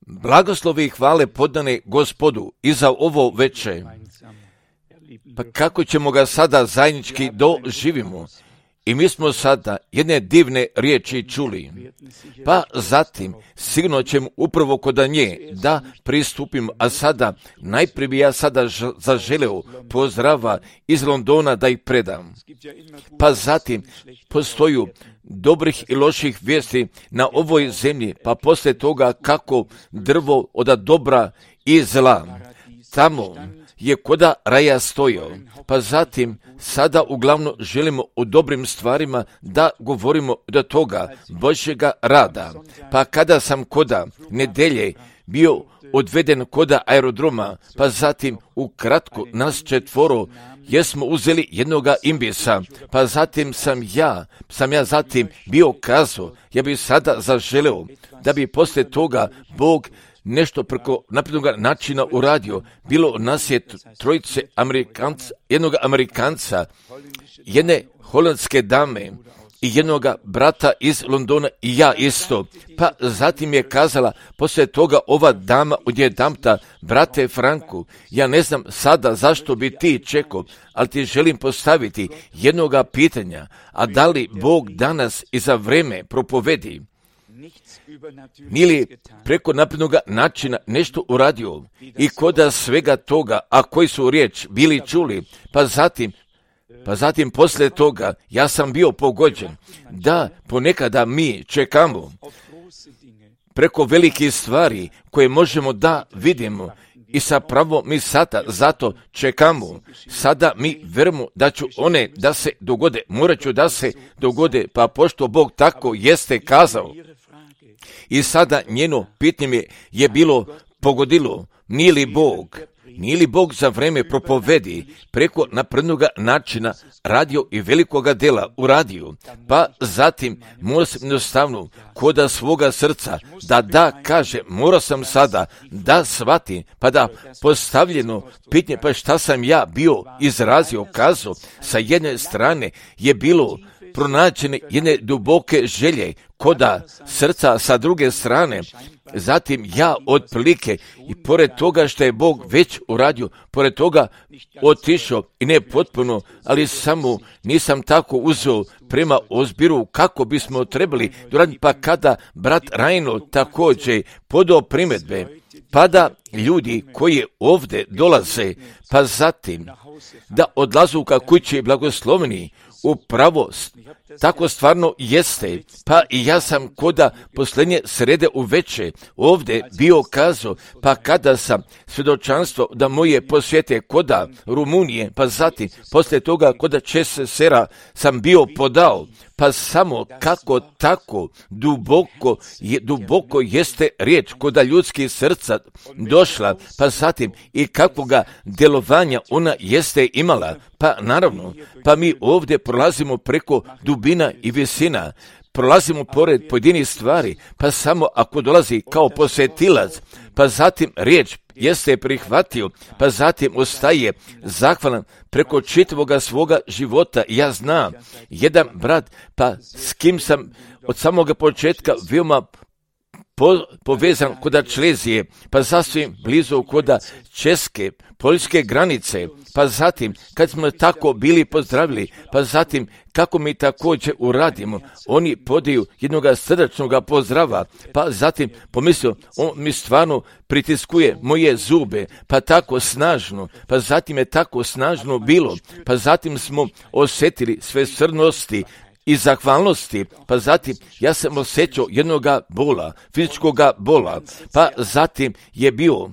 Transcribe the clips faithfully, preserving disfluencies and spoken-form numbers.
Blagoslovi i hvale podane Gospodu i za ovo veče. Pa kako ćemo ga sada zajednički doživimo? I mi smo sada jedne divne riječi čuli. Pa zatim, sigurno ćemo upravo kod nje da pristupim, a sada, najprije bi ja sada zaželeo pozdrava iz Londona da ih predam. Pa zatim, postoju dobrih i loših vijesti na ovoj zemlji, pa poslije toga kako drvo od dobra i zla. Tamo je koda raja stojao, pa zatim sada uglavnom želimo o dobrim stvarima da govorimo do toga Božjega rada. Pa kada sam koda nedelje bio odveden koda aerodroma, pa zatim ukratko nas četvoro jesmo uzeli jednoga imbisa, pa zatim sam ja, sam ja zatim bio kazao, ja bi sada zaželeo da bi poslije toga Bog nešto preko naprednog načina uradio. Bilo nas je trojice Amerikanca, jednog Amerikanca, jedne holandske dame i jednog brata iz Londona i ja isto. Pa zatim je kazala poslije toga ova dama odjedanputa, brate Franku, ja ne znam sada zašto bi ti čekao, ali ti želim postaviti jednoga pitanja, a da li Bog danas i za vreme propovedi nije li preko naprednog načina nešto uradio i koda svega toga, a koji su riječ bili čuli, pa zatim, pa zatim poslije toga ja sam bio pogođen da ponekada mi čekamo preko velikih stvari koje možemo da vidimo i sa pravom mi sada zato čekamo. Sada mi vjerujemo da ću one da se dogode, morat ću da se dogode, pa pošto Bog tako jeste kazao. I sada njeno pitanje je bilo pogodilo, nije li Bog, nije li Bog za vreme propovedi preko naprednog načina radio i velikoga dela uradio, pa zatim mora sam jednostavno koda svoga srca da da kaže, mora sam sada da shvatim, pa da postavljeno pitanje, pa šta sam ja bio izrazio, kazao, sa jedne strane je bilo pronađene jedne duboke želje koda srca, sa druge strane, zatim ja otprilike i pored toga što je Bog već uradio, pored toga otišao i ne potpuno, ali samo nisam tako uzeo prema ozbiru kako bismo trebali doraditi, pa kada brat Rajno također podao primjedbe, pa da ljudi koji ovdje dolaze, pa zatim da odlazu ka kući blagosloveni, upravo tako stvarno jeste, pa i ja sam koda posljednje srede uveče ovdje bio kazao, pa kada sam svjedočanstvo da moje posjete koda Rumunije, pa zatim poslije toga koda Česera sam bio podao, pa samo kako tako duboko, je, duboko jeste riječ koda ljudskih srca došla, pa zatim i kakvoga djelovanja ona jeste imala, pa naravno, pa mi ovdje prolazimo preko dubina i visina, prolazimo pored pojedinih stvari, pa samo ako dolazi kao posjetilac, pa zatim riječ jeste prihvatio, pa zatim ostaje zahvalan preko čitavoga svoga života. Ja znam, jedan brat, pa s kim sam od samoga početka veoma po, povezan koda Člezije, pa sasvim blizu koda Česke, poljske granice, pa zatim kad smo tako bili pozdravili, pa zatim kako mi također uradimo, oni podaju jednog srdačnog pozdrava, pa zatim pomislio, on mi stvarno pritiskuje moje zube, pa tako snažno, pa zatim je tako snažno bilo, pa zatim smo osjetili sve srnosti i zahvalnosti, pa zatim ja sam osjećao jednoga bola, fizičkoga bola, pa zatim je bio,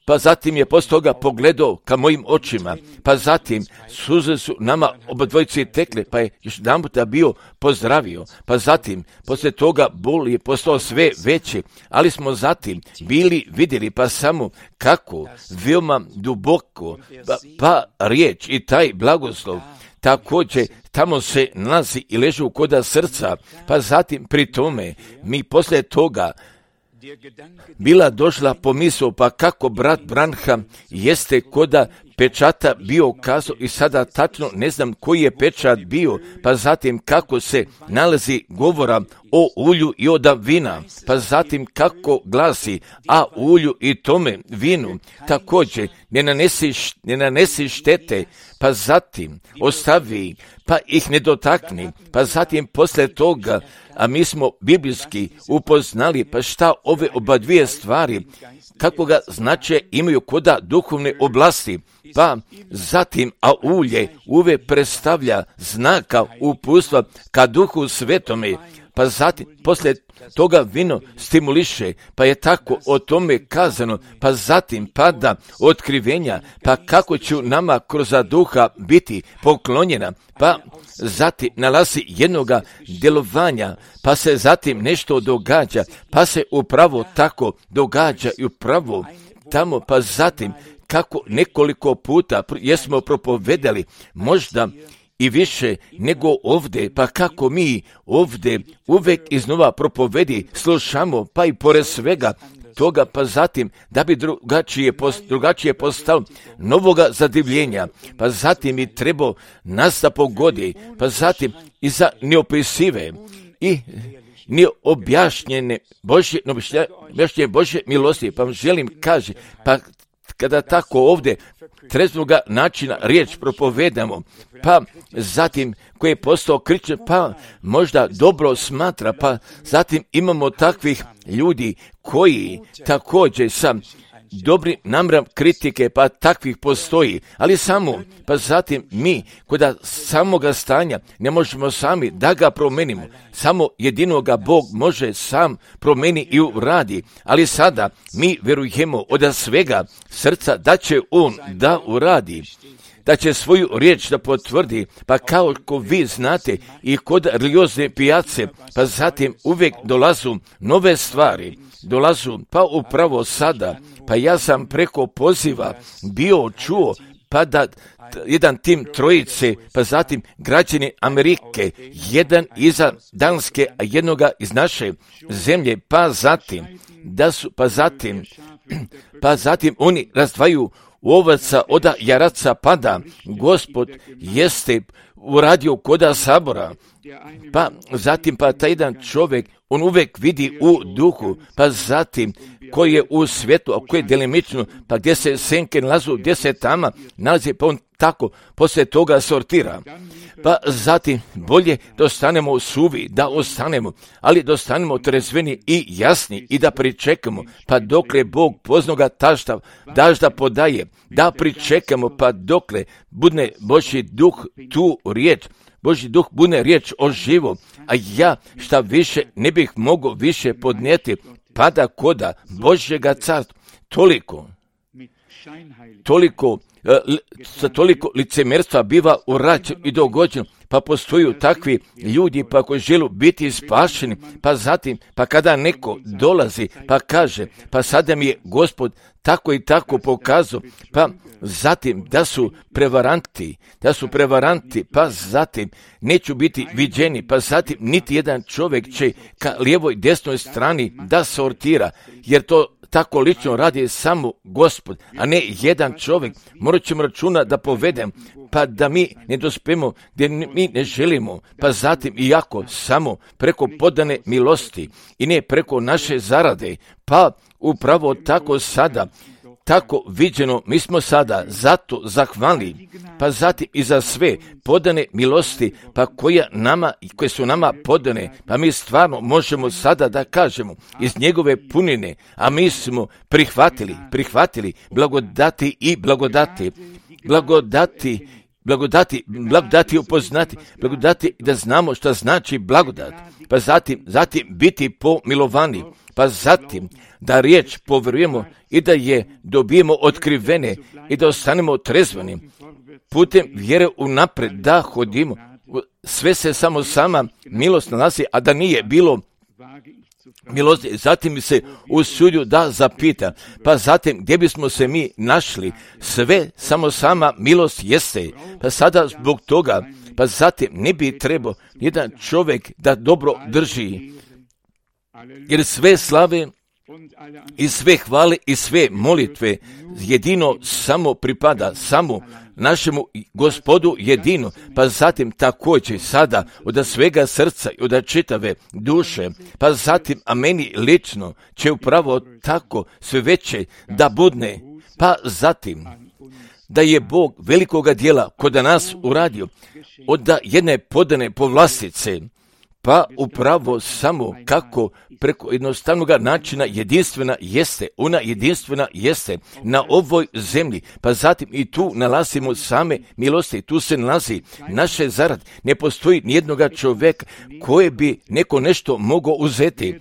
pa zatim je poslije toga pogledao ka mojim očima, pa zatim suze su nama obadvojici tekle, pa je još jedan puta bio pozdravio, pa zatim poslije toga bol je postao sve veći, ali smo zatim bili vidjeli pa samo kako veoma duboko, pa, pa riječ i taj blagoslov također tamo se nalazi i leži u koda srca, pa zatim pri tome mi poslije toga bila došla pomisao, pa kako brat Branham jeste koda pečata bio kazao i sada tačno ne znam koji je pečat bio, pa zatim kako se nalazi govora o ulju i od vina, pa zatim kako glasi, a ulju i tome vinu također ne nanesi, ne nanesi štete, pa zatim ostavi, pa ih ne dotakni, pa zatim poslije toga, a mi smo biblijski upoznali, pa šta ove oba dvije stvari, kakvoga značaja imaju koda duhovne oblasti, pa zatim, a ulje uvijek predstavlja znaka uputstva ka Duhu Svetome, pa zatim, poslije toga vino stimuliše, pa je tako o tome kazano, pa zatim pada otkrivenja, pa kako će nama kroz duha biti poklonjena, pa zatim nalazi jednoga djelovanja, pa se zatim nešto događa, pa se upravo tako događa i upravo tamo, pa zatim kako nekoliko puta jesmo propovedali, možda i više nego ovdje, pa kako mi ovdje uvijek iznova propovedi slušamo, pa i pored svega toga, pa zatim da bi drugačije, drugačije postalo novoga zadivljenja, pa zatim i trebao nas da pogodi, pa zatim i za neopisive i neobjašnjene Božje, neobjašnjene Božje milosti, pa vam želim kaži, pa kada tako ovdje treznoga načina riječ propovedamo, pa zatim koji je postao kričan, pa možda dobro smatra, pa zatim imamo takvih ljudi koji također sa dobrim namjerom kritike, pa takvih postoji, ali samo, pa zatim mi kod samoga stanja ne možemo sami da ga promenimo, samo jedinoga Bog može sam promeni i uradi, ali sada mi vjerujemo od svega srca da će On da uradi, da će svoju riječ da potvrdi, pa kao ko vi znate i kod religiozne pijace, pa zatim uvijek dolazu nove stvari, dolazu, pa upravo sada, pa ja sam preko poziva bio čuo, pa da jedan tim trojice, pa zatim građani Amerike, jedan iza Danske, a jednoga iz naše zemlje, pa zatim, da su, pa zatim, pa zatim oni razdvaju ovaca od jaraca pada, Gospod jeste uradio koda sabora, pa zatim pa taj jedan čovjek, on uvijek vidi u duhu, pa zatim koji je u svijetu, a koji je delimično, pa gdje se senke nalazu, gdje se tama nalazi, pa on tako poslije toga sortira. Pa zatim bolje da ostanemo suvi, da ostanemo, ali da ostanemo trezveni i jasni i da pričekamo, pa dokle Bog poznoga tašta dažda podaje, da pričekamo, pa dokle budne Božji duh tu riječ, Božji duh bude riječ o živo, a ja šta više ne bih mogao više podnijeti, pada koda Božjega carstva, toliko, toliko, sa toliko licemerstva biva urađeno i dogođeno, pa postoju takvi ljudi pa koji žele biti spašeni, pa zatim, pa kada neko dolazi, pa kaže, pa sada mi je Gospod tako i tako pokazao, pa zatim da su prevaranti, da su prevaranti, pa zatim neću biti viđeni, pa zatim niti jedan čovjek će ka lijevoj desnoj strani da sortira, jer to tako lično radi samo Gospod, a ne jedan čovjek. Morat ćemo računa da povedem, pa da mi ne dospemo gdje mi ne želimo, pa zatim iako samo preko podane milosti i ne preko naše zarade, pa upravo tako sada, tako viđeno, mi smo sada zato zahvalni, pa zatim i za sve podane milosti, pa koja nama, koje su nama podane, pa mi stvarno možemo sada da kažemo iz njegove punine, a mi smo prihvatili, prihvatili blagodati i blagodati, blagodati, blagodati, blagodati upoznati, blagodati da znamo šta znači blagodat, pa zatim, zatim biti pomilovani, pa zatim da riječ povjerujemo i da je dobijemo otkrivene i da ostanemo trezveni. Putem vjere unapred da hodimo. Sve se samo sama milost nalazi, a da nije bilo milosti. Zatim se usudio da zapita, pa zatim gdje bismo se mi našli, sve samo sama milost jeste. Pa sada zbog toga, pa zatim ne bi trebao jedan čovjek da dobro drži, jer sve slave I sve hvale i sve molitve jedino samo pripada samo našemu Gospodu jedino, pa zatim također sada od svega srca i od čitave duše, pa zatim a meni lično će upravo tako sve veće da budne, pa zatim da je Bog velikoga dijela kod nas uradio od jedne podane povlastice, pa upravo samo kako preko jednostavnog načina jedinstvena jeste, ona jedinstvena jeste na ovoj zemlji, pa zatim i tu nalazimo same milosti, tu se nalazi naše zarad, ne postoji nijednoga čovjeka koje bi neko nešto mogao uzeti,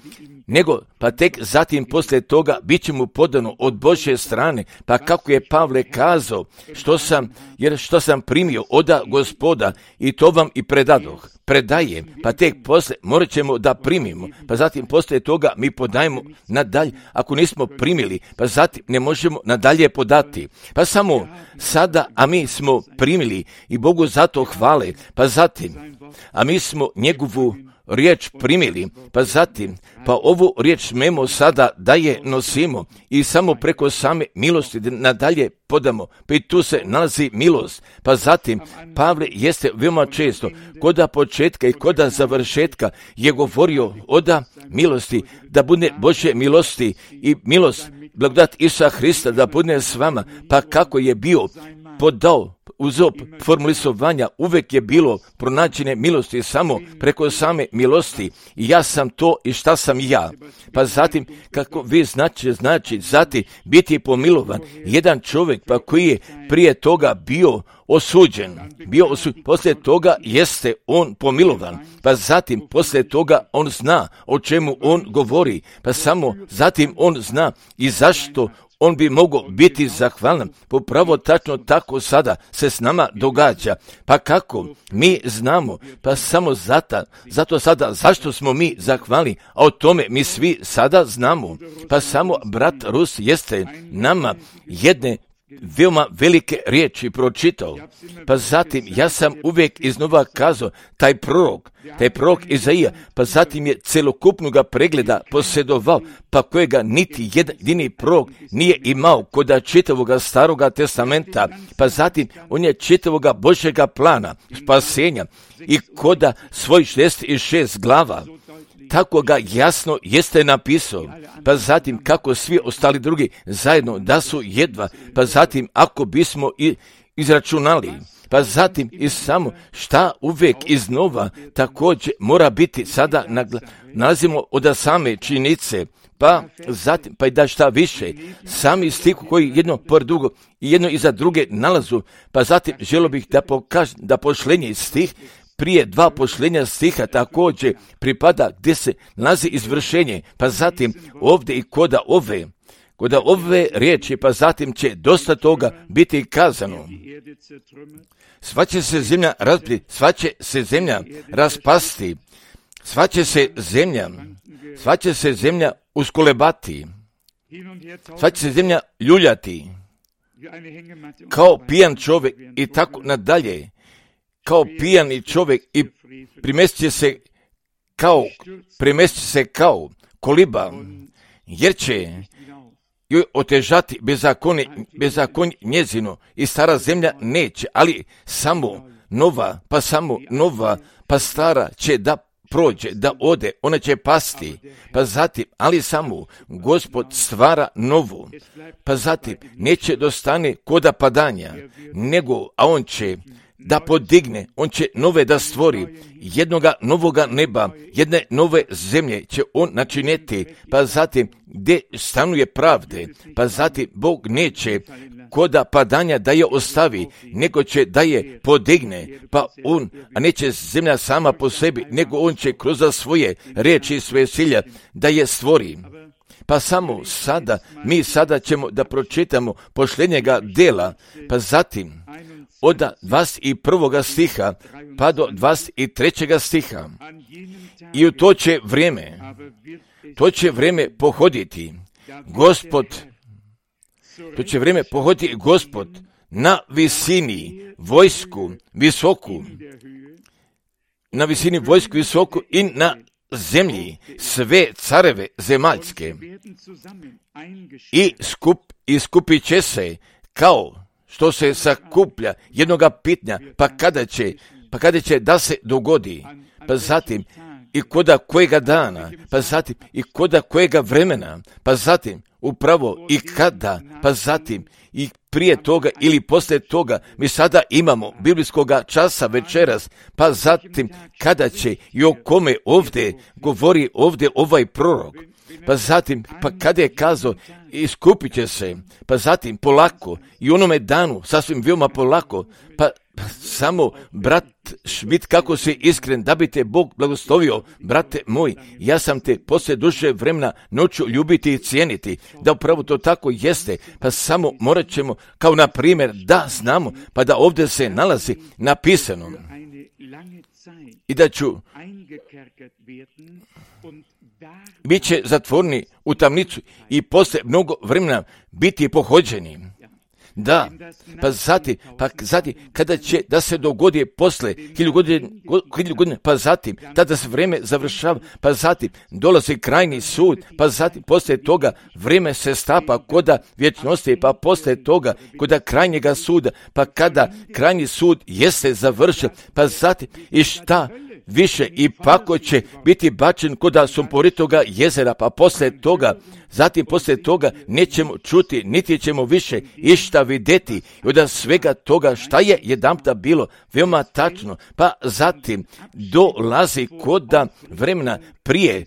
nego pa tek zatim poslije toga bit će mu podano od Božje strane, pa kako je Pavle kazao, što sam, jer što sam primio oda Gospoda i to vam i predadoh, predajem, pa tek poslije morat ćemo da primimo, pa zatim poslije toga mi podajemo nadalje, ako nismo primili, pa zatim ne možemo nadalje podati, pa samo sada, a mi smo primili i Bogu zato hvale, pa zatim, a mi smo njegovu riječ primili, pa zatim, pa ovu riječ smemo sada da je nosimo i samo preko same milosti nadalje podamo, pa i tu se nalazi milost, pa zatim Pavle jeste veoma često koda početka i koda završetka je govorio oda milosti, da bude Božje milosti i milost, blagodat Isusa Hrista da bude s vama, pa kako je bio podao uz op formulisovanja uvek je bilo pronađene milosti samo preko same milosti i ja sam to i šta sam ja. Pa zatim, kako vi znači, znači zatim biti pomilovan, jedan čovjek pa koji je prije toga bio osuđen, bio osuđen, poslije toga jeste on pomilovan, pa zatim poslije toga on zna o čemu on govori, pa samo zatim on zna i zašto on bi mogao biti zahvalan, popravo tačno tako sada se s nama događa. Pa kako? Mi znamo, pa samo zato, zato sada zašto smo mi zahvalni, a o tome mi svi sada znamo. Pa samo brat Rus jeste nama jedne veoma velike riječi pročitao. Pa zatim ja sam uvijek iznova kazao taj prorok, taj prorok Izaija, pa zatim je celokupnog pregleda posjedovao, pa kojega niti jedini prorok nije imao kod čitavoga staroga testamenta, pa zatim on je čitavoga Božjega plana spasenja i koda svoj šezdeset šest glava tako ga jasno jeste napisao, pa zatim kako svi ostali drugi zajedno da su jedva, pa zatim ako bismo i izračunali, pa zatim i samo šta uvijek iznova također mora biti sada nagla, nalazimo od same činjenice, pa zatim, pa i da šta više, sami stiku koji jedno pored drugo i jedno iza druge nalazu, pa zatim želio bih da pokažem da pošlenje stih prije dva pošlenja stiha također pripada gdje se nalazi izvršenje, pa zatim ovdje i koda ove, koda ove riječi, pa zatim će dosta toga biti kazano. Sva će se zemlja razbiti, sva će se zemlja raspasti, sva će se zemlja, sva će se zemlja uskolebati, sva će se zemlja ljuljati, kao pijan čovjek i tako nadalje. Kao pijani čovjek i primestit se kao, primestit se kao koliba, jer će joj otežati bezakonje, bezakonje njezino i stara zemlja neće, ali samo nova, pa samo nova, pa stara će da prođe, da ode, ona će pasti, pa zatim, ali samo Gospod stvara novu, pa zatim neće dostane koda padanja, nego, a on će da podigne, on će nove da stvori, jednoga novoga neba, jedne nove zemlje će on načiniti, pa zatim gdje stanuje pravde, pa zatim Bog neće koda padanja da je ostavi, nego će da je podigne, pa on, a neće zemlja sama po sebi, nego on će kroz svoje riječi i svoje silje da je stvori. Pa samo sada, mi sada ćemo da pročitamo pošljenjega dela, pa zatim od dvadeset prvog stiha pa do dvadeset trećeg stiha. I u to će vrijeme, to će vrijeme pohoditi Gospod, to će vrijeme pohoditi Gospod na visini vojsku visoku, na visini vojsku visoku i na zemlji sve careve zemaljske i skup, i skupit će se kao što se sakuplja jednoga pitnja, pa kada će, pa kada će da se dogodi, pa zatim i koda kojega dana, pa zatim i koda kojega vremena, pa zatim upravo i kada, pa zatim i prije toga ili poslije toga. Mi sada imamo biblijskoga časa večeras, pa zatim kada će i o kome ovdje govori ovdje ovaj prorok, pa zatim pa kada je kazao iskupit će se, pa zatim polako i onome danu sasvim veoma polako, pa samo brat Schmidt, kako si iskren, da bi te Bog blagoslovio, brate moj, ja sam te poslije duže vremena noću ljubiti i cijeniti, da upravo to tako jeste, pa samo morat ćemo, kao na primjer, da znamo, pa da ovdje se nalazi napisano i da ću bit će zatvorni u tamnicu i poslije mnogo vremena biti pohođeni. Da, pa zatim, pa zatim, kada će da se dogodi posle hilju godine, hilju godine, pa zatim, tada se vrijeme završava, pa zatim dolazi krajnji sud, pa zatim poslije toga vrijeme se stapa koda vječnosti, pa poslije toga koda krajnjega suda, pa kada krajnji sud jeste završen, pa zatim i šta više i pako će biti bačen koda sumporitoga jezera, pa poslije toga, zatim poslije toga nećemo čuti, niti ćemo više išta vidjeti i od svega toga šta je jedanputa bilo veoma tačno, pa zatim dolazi koda vremena prije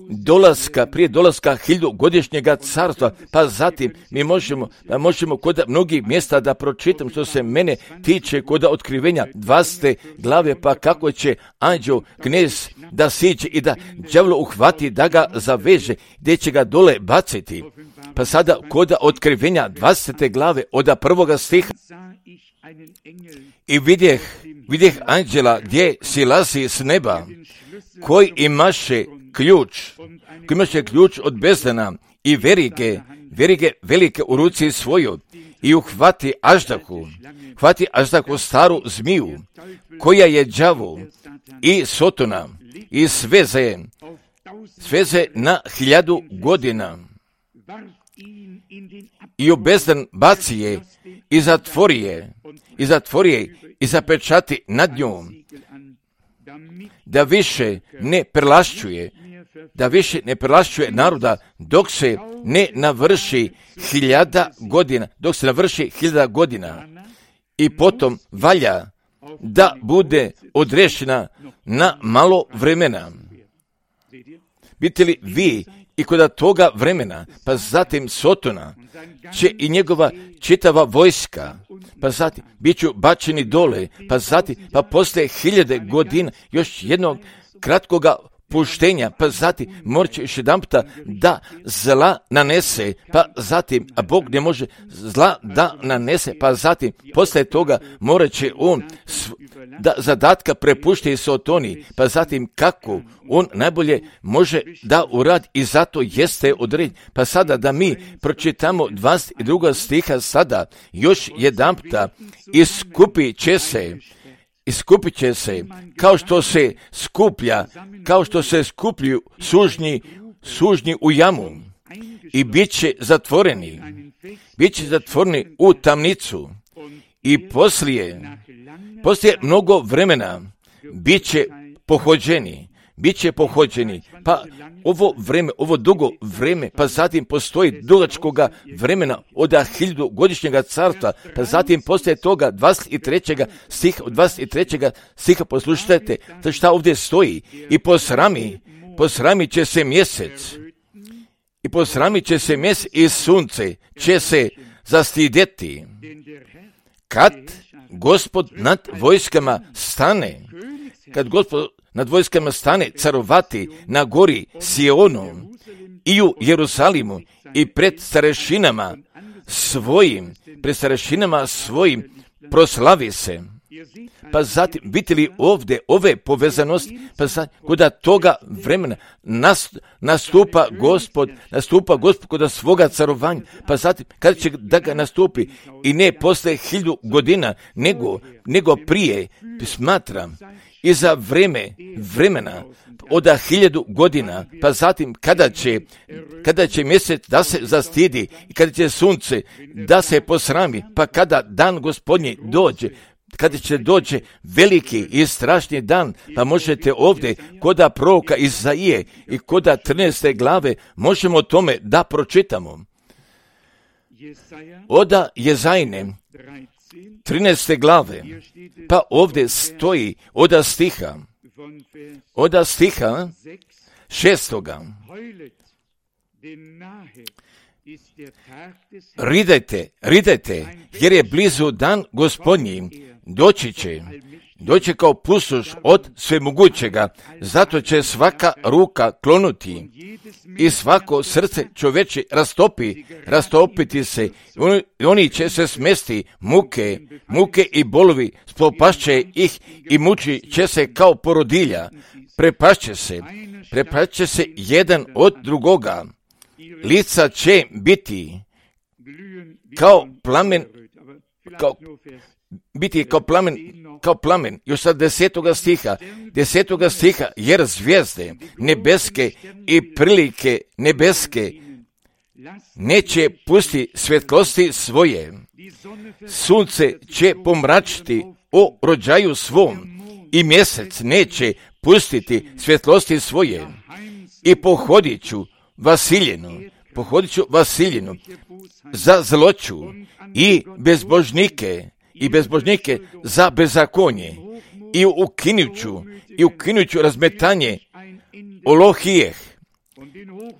dolaska, prije dolaska hiljadugodišnjega carstva, pa zatim mi možemo, pa možemo kod mnogih mjesta da pročitam što se mene tiče kod otkrivenja dvasete glave, pa kako će anđeo knez da siđe i da đavlo uhvati, da ga zaveže, gdje će ga dole baciti. Pa sada kod otkrivenja dvasete glave od prvoga stiha i vidjeh, vidjeh anđela gdje silazi s neba, koji imaše ključ, koji imaše ključ od bezdana i verige, verige velike u ruci svoju i uhvati aždahu, hvati aždahu staru zmiju, koja je đavo i sotona i sveze, sveze na hiljadu godina i u bezdan baci je i zatvori je, i zatvori je i zapečati nad njom, da više ne prelašćuje, da više ne prelašćuje naroda dok se ne navrši hiljada godina, dok se navrši hiljada godina i potom valja da bude odrešena na malo vremena. Bite li vi i kod toga vremena, pa zatim Sotona će i njegova čitava vojska, pa zatim bit ću bačeni dole, pa zatim, pa poslije hiljade godina još jednog kratkoga puštenja, pa zatim morat će još jedan puta da zla nanese, pa zatim, a Bog ne može zla da nanese, pa zatim poslije toga morat će on da zadatka prepušti Sotoni, pa zatim kako on najbolje može da uradi i zato jeste određen. Pa sada da mi pročitamo dvadeset druga stiha sada, još jedan puta iskupit će se, iskupit će se, kao što se skuplja, kao što se skupljuju sužnji, sužnji u jamu i bit će zatvoreni, bit će zatvoreni u tamnicu i poslije, poslije mnogo vremena bit će pohođeni, bit će pohođeni, pa ovo vreme, ovo dugo vreme, pa zatim postoji dugačkoga vremena od hiljadu godišnjega carstva, pa zatim poslije toga dvadeset trećega stiha, dvadeset trećega stiha poslušajte, za šta ovdje stoji, i posrami, posrami će se mjesec, i posrami će se mjesec i sunce će se zastidjeti, kad Gospod nad vojskama stane, kad Gospod nad vojskama stane carovati na gori Sionu i u Jerusalimu i pred starešinama svojim, pred starešinama svojim proslavi se. Pa zatim, vidite li ovdje ove povezanosti, pa zatim, kuda toga vremena nastupa Gospod, nastupa Gospod kod svoga carovanja, pa zatim, kada će da ga nastupi, i ne posle hiljadu godina, nego, nego prije, smatram, i za vreme, vremena, od hiljadu godina, pa zatim kada će, kada će mjesec da se zastidi, i kada će sunce da se posrami, pa kada dan Gospodnji dođe, kada će doći veliki i strašni dan, pa možete ovdje koda proroka Izaije i koda trinaeste glave možemo o tome da pročitamo. Oda Jezajne trinaeste glave, pa ovdje stoji oda stiha, oda stiha šestoga. Ridajte, ridajte, jer je blizu dan Gospodnji, doći će, doći kao pustoš od svemogućega, zato će svaka ruka klonuti i svako srce čoveče rastopi, rastopiti se, oni će se smesti, muke, muke i bolovi, spopašće ih i muči će se kao porodilja, prepašće se, prepašće se jedan od drugoga, lica će biti kao plamen, kao, biti kao plamen, kao plamen, još sad desetoga stiha, desetoga stiha, jer zvijezde nebeske i prilike nebeske neće pusti svjetlosti svoje, sunce će pomračiti o rođaju svom i mjesec neće pustiti svjetlosti svoje i pohodit ću Vasiljenu, pohodit ću Vasiljenu za zloću i bezbožnike, i bezbožnike za bezakonje, i ukinut ću, i ukinut ću razmetanje Olohijeh,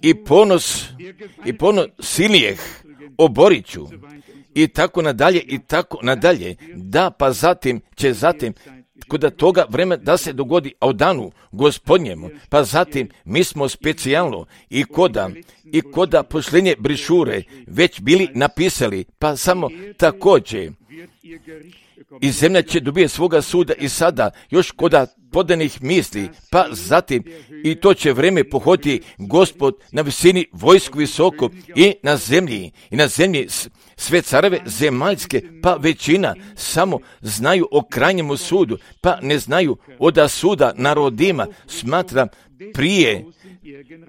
i ponos, i ponos silnijeh oborit ću, i tako nadalje, i tako nadalje, da pa zatim će zatim kod toga vremena da se dogodi, a u danu Gospodnjemu, pa zatim mi smo specijalno i koda, i koda pošlenje brišure već bili napisali, pa samo također i zemlja će dobije svoga suda i sada još koda podanih misli, pa zatim i to će vreme pohoditi Gospod na visini vojsku visoko i na zemlji, i na zemlji sve careve zemaljske, pa većina samo znaju o krajnjemu sudu, pa ne znaju oda suda narodima, smatram prije,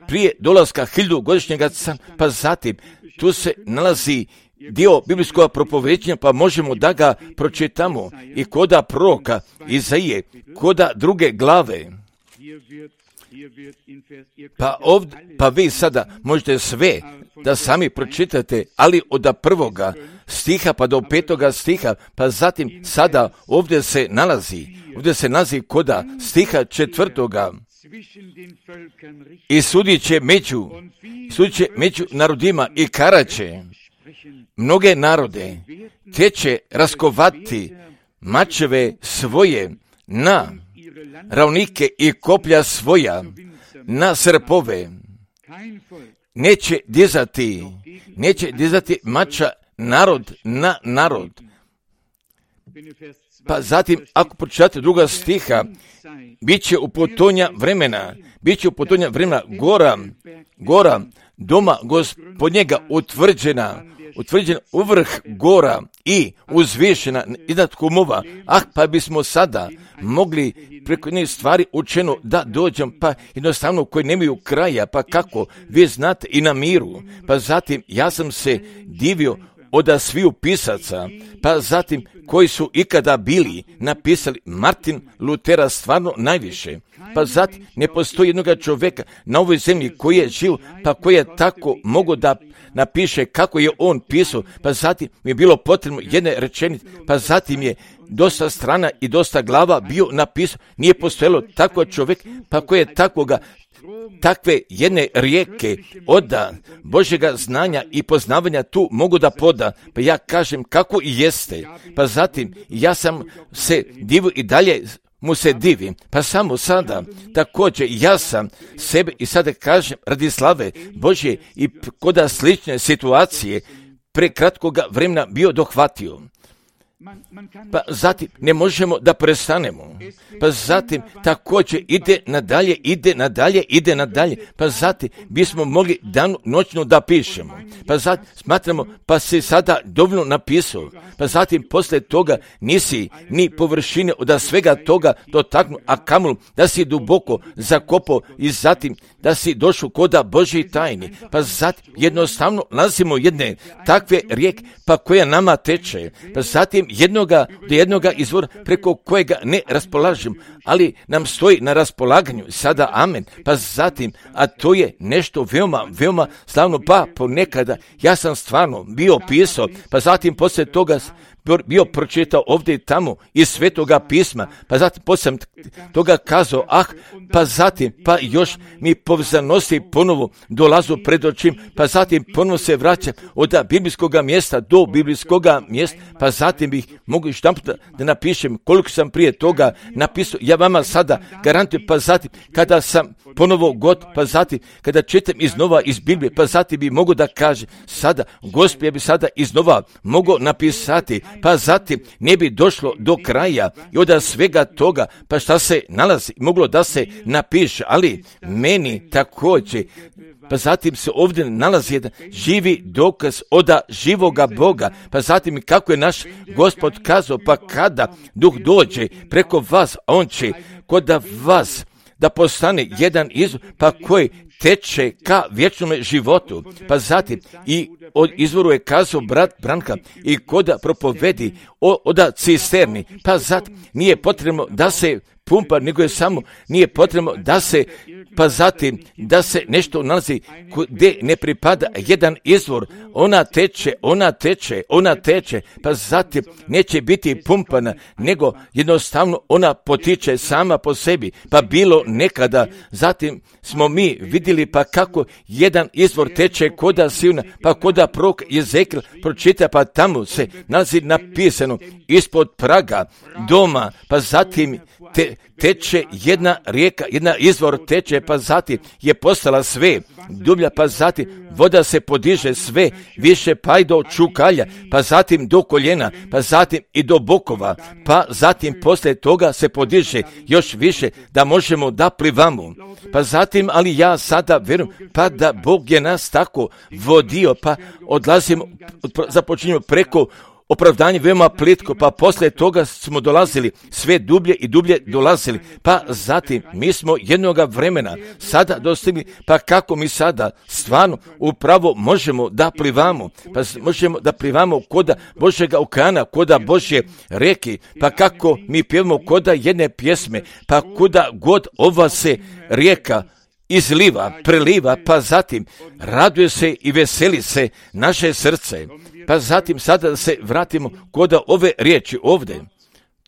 prije dolaska hiljadu godišnjega cara, pa zatim tu se nalazi dio biblijskog propovećenja, pa možemo da ga pročitamo i koda proroka Izaije, koda druge glave. Pa, ovdje, pa vi sada možete sve da sami pročitate, ali od prvoga stiha pa do petoga stiha, pa zatim sada ovdje se nalazi, ovdje se nalazi koda stiha četvrtoga. I sudit će među, sudit će među narodima i karaće mnoge narode, te će raskovati mačeve svoje na ravnike i koplja svoja na srpove. Neće dizati, neće dizati mača narod na narod. Pa zatim, ako pročitate druga stiha, bit će u potonja vremena, bit će u potonja vremena gora, gora doma Gospodnjega utvrđena, utvrđena u vrh gora i uzvišena iznad kumova. Ah, pa bismo sada mogli preko njih stvari učeno da dođem, pa jednostavno koji nemaju kraja, pa kako, vi znate i na miru. Pa zatim, ja sam se divio od sviju pisaca, pa zatim koji su ikada bili napisali Martin Lutera stvarno najviše. Pa zatim ne postoji jednoga čovjeka na ovoj zemlji koji je živ, pa koji je tako mogo da napiše kako je on pisao, pa zatim mi je bilo potrebno jedne rečenice, pa zatim je dosta strana i dosta glava bio napisao. Nije postojalo tako čovjek, pa koji je takvoga takve jedne rijeke od Božjega znanja i poznavanja tu mogu da poda. Pa ja kažem kako i jeste. Pa zatim ja sam se divio i dalje mu se divim. Pa samo sada također ja sam sebe i sada kažem radi slave Božje i koda slične situacije pre kratkoga vremena bio dohvatio. Pa zatim ne možemo da prestanemo. Pa zatim također ide nadalje, ide nadalje, ide nadalje. Pa zatim bismo mogli dan noćno da pišemo. Pa zatim smatramo, pa si sada dovoljno napisao. Pa zatim poslije toga nisi ni površine od svega toga dotaknuo, a kamoli da si duboko zakopao i zatim da si došao koda Božji tajni. Pa zatim jednostavno nalazimo jedne takve rijeke, pa koja nama teče. Pa zatim jednoga do jednoga izvora preko kojega ne raspolažem, ali nam stoji na raspolaganju. Sada amen. Pa zatim, a to je nešto veoma, veoma slavno, pa ponekada ja sam stvarno bio pisao, pa zatim poslije toga bio pročitao ovdje i tamo iz Svetoga pisma, pa zatim poslije toga kazao, ah, pa zatim, pa još mi povzanosti ponovo dolazu pred očim, pa zatim ponovo se vraća od biblijskog mjesta do biblijskog mjesta, pa zatim bih mogu još da, da napišem koliko sam prije toga napisao, ja vama sada garantujem, pa zatim kada sam ponovo god, pa zatim kada čitam iznova iz Biblije, pa zatim bi mogu da kaže sada, Gospod, ja bi sada iznova mogu napisati, pa zatim ne bi došlo do kraja i od svega toga, pa šta se nalazi, moglo da se napiše, ali meni također, pa zatim se ovdje nalazi jedan živi dokaz od živoga Boga, pa zatim kako je naš Gospod kazao, pa kada Duh dođe preko vas, on će kod vas da postane jedan izvor, pa koji teče ka vječnome životu. Pa zatim i od izvoru je kazao brat Branka i koda propovedi o, oda cisterni, pa zatim nije potrebno da se pumpa, nego je samo nije potrebno da se, pa zatim da se nešto nalazi gdje ne pripada jedan izvor, ona teče, ona teče, ona teče, pa zatim neće biti pumpana, nego jednostavno ona potiče sama po sebi, pa bilo nekada, zatim smo mi vidjeli pa kako jedan izvor teče koda Sivna, pa koda prorok Jezekijel pročita, pa tamo se nalazi napisano ispod praga doma, pa zatim te, teče jedna rijeka, jedna izvor teče, pa zatim je postala sve dublja, pa zatim voda se podiže sve više, pa i do čukalja, pa zatim do koljena, pa zatim i do bokova, pa zatim poslije toga se podiže još više da možemo da plivamo. Pa zatim, ali ja sada vjerujem, pa da Bog je nas tako vodio, pa odlazimo, započinjemo preko opravdanje veoma plitko, pa poslije toga smo dolazili sve dublje i dublje dolazili, pa zatim mi smo jednoga vremena sada dostigli, pa kako mi sada stvarno upravo možemo da plivamo, pa možemo da plivamo koda Božjega okeana, koda Božje reke, pa kako mi pjevamo koda jedne pjesme, pa kuda god ova se rijeka izliva, preliva, pa zatim raduje se i veseli se naše srce. Pa zatim sada da se vratimo kod ove riječi ovdje.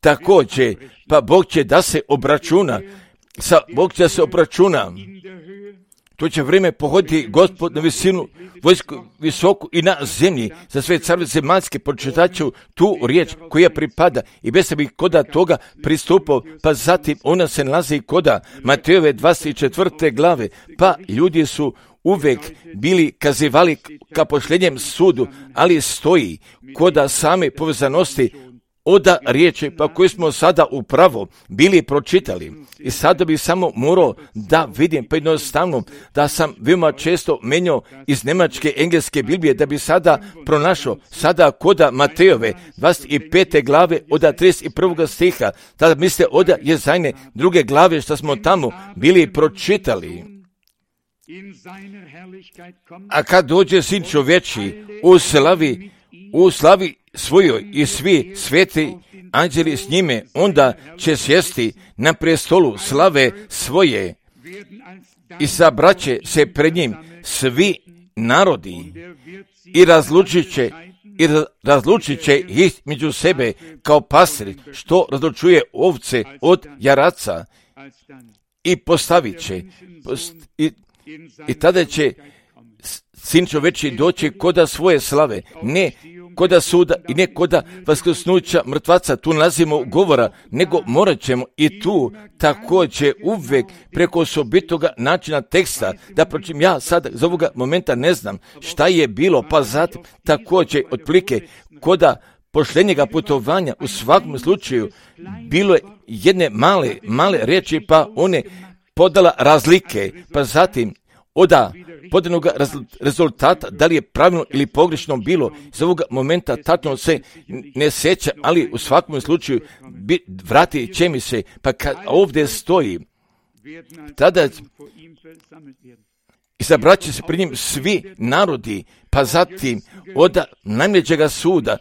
Također, pa Bog će da se obračuna, sa Bog će da se obračuna. To će vrijeme pohoditi Gospod na visinu, vojsku visoku i na zemlji. Za sve carve zemaljske pročitat ću tu riječ koja pripada i bez bi koda toga pristupao, pa zatim ona se nalazi koda Matejove dvadeset četvrte glave, pa ljudi su uvijek bili kazivali ka posljednjem sudu, ali stoji koda same povezanosti oda riječi, pa koji smo sada upravo bili pročitali. I sada bih samo morao da vidim, pa jednostavno da sam veoma često menjao iz njemačke engleske Biblije, da bi sada pronašao sada koda Matejove dvadeset pete glave od trideset prvog stiha, tada mislite oda Jezajne druge glave što smo tamo bili pročitali. A kad dođe Sin čovječi u slavi, u slavi svojoj i svi sveti anđeli s njime, onda će sjesti na prestolu slave svoje i sabraće se pred njim svi narodi i razlučit će, i razlučit će ih među sebe kao pastir što razlučuje ovce od jaraca i postavit će post, i, i tada će Sin čovječi doći koda svoje slave, ne koda suda i ne koda vaskrsnuća mrtvaca, tu nalazimo govora, nego morat ćemo i tu također uvijek preko osobitoga načina teksta, da pročim ja sad za ovoga momenta ne znam šta je bilo, pa zatim također otplike koda poštenjega putovanja u svakom slučaju bilo je jedne male, male riječi, pa one podala razlike, pa zatim oda podanog rezultata, da li je pravilno ili pogrešno bilo, iz ovoga momenta tačno se ne sjeća, ali u svakom slučaju vrati će mi se, pa kad ovdje stoji, tada izabrat će se pri njim svi narodi, pa zatim od najmlađega suda